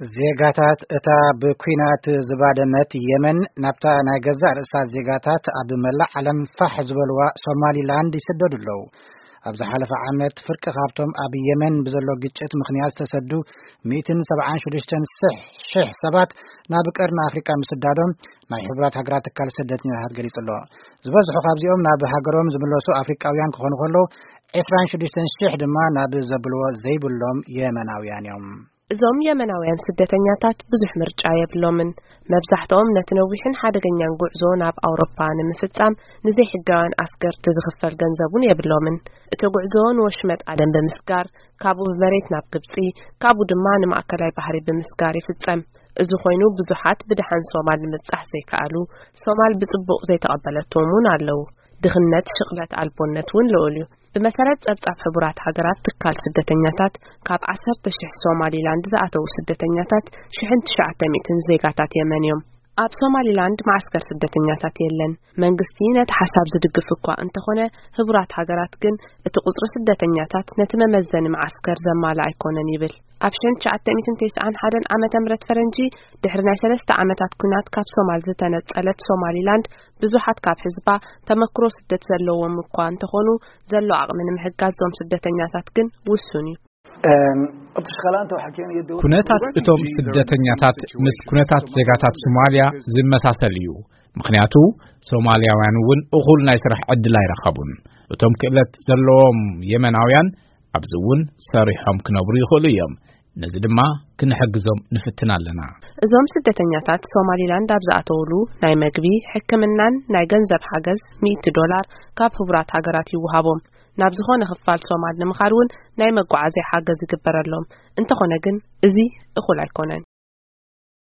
ዜጋታት እታ ብኲናት ዝባደመት የመን ናብታ ናይ ገዛእ ርእሳ ዜጋታት ኣብ መላእ ዓለም ፋሕ ዝበልዋ ሶማሊላንድ ይስደዱ ኣለዉ። ኣብ ዝሓለፈ ዓመት ፍርቂ ካብቶም ኣብ የመን ብዘሎ ግጭት ምኽንያት ዝተሰዱ ሚእትን ሰብዓን ሽዱሽተን ሽሕ ሰባት ናብ ቀርኒ ኣፍሪቃ ምስዳዶም ናይ ሕቡራት ሃገራት ትካል ስደተኛታት ገሊጹ ኣሎ። ዝበዝሑ ካብዚኦም ናብ ሃገሮም ዝምለሱ ኣፍሪቃውያን ክኾኑ ከለዉ፣ ዕስራን ሽዱሽተን ሽሕ ድማ ናብ ዘብልዎ ዘይብሎም የመናውያን እዮም። እዞም የመናውያን ስደተኛታት ብዙሕ ምርጫ የብሎምን። መብዛሕትኦም ነቲ ነዊሕን ሓደገኛን ጉዕዞ ናብ ኣውሮፓ ንምፍጻም ንዘይሕጋውያን ኣስገርቲ ዝኽፈል ገንዘብ እውን የብሎምን። እቲ ጉዕዞ ንወሽመጥ ኣደን ብምስጋር፣ ካብኡ ብመሬት ናብ ግብጺ፣ ካብኡ ድማ ንማእከላይ ባሕሪ ብምስጋር ይፍጸም። እዚ ኮይኑ ብዙሓት ብደሓን ሶማል ንምብጻሕ ዘይከኣሉ፣ ሶማል ብጽቡቕ ዘይተቐበለቶም እውን ኣለዉ። ድኽነት፣ ሽቕለት ኣልቦነት እውን ልዑል እዩ። ብመሰረት ጸብጻብ ሕቡራት ሃገራት ትካል ስደተኛታት፣ ካብ ዓሰርተ ሽሕ ሶማሊላንድ ዝኣተዉ ስደተኛታት ሽሕን ትሽዓተ ሚእትን ዜጋታት የመን እዮም። ኣብ ሶማሊላንድ መዓስከር ስደተኛታት የለን። መንግስቲ ነቲ ሓሳብ ዝድግፍ እኳ እንተኾነ፣ ሕቡራት ሃገራት ግን እቲ ቁጽሪ ስደተኛታት ነቲ መመዘኒ መዓስከር ዘማልእ ኣይኮነን ይብል። ኣብ ሽሕን ትሽዓተ ሚእትን ተስዓን ሓደን ዓመተ ምህረት ፈረንጂ፣ ድሕሪ ናይ ሰለስተ ዓመታት ኲናት ካብ ሶማል ዝተነጸለት ሶማሊላንድ፣ ብዙሓት ካብ ህዝባ ተመክሮ ስደት ዘለዎም እኳ እንተኾኑ፣ ዘሎ ዓቕሚ ንምሕጋዝ እዞም ስደተኛታት ግን ውሱን እዩ። ኩነታት እቶም ስደተኛታት ምስ ኩነታት ዜጋታት ሶማልያ ዝመሳሰል እዩ። ምኽንያቱ ሶማልያውያን እውን እኹል ናይ ስራሕ ዕድል ኣይረኸቡን። እቶም ክእለት ዘለዎም የመናውያን ኣብዚ እውን ሰሪሖም ክነብሩ ይኽእሉ እዮም። ነዚ ድማ ክንሕግዞም ንፍትን ኣለና። እዞም ስደተኛታት ሶማሊላንድ ኣብ ዝኣተውሉ ናይ መግቢ፣ ሕክምናን ናይ ገንዘብ ሓገዝ ሚእቲ ዶላር ካብ ሕቡራት ሃገራት ይወሃቦም። ናብ ዝኾነ ክፋል ሶማል ንምኻድ እውን ናይ መጓዓዝያ ሓገዝ ይግበረሎም። እንተኾነ ግን እዚ እኹል ኣይኮነን።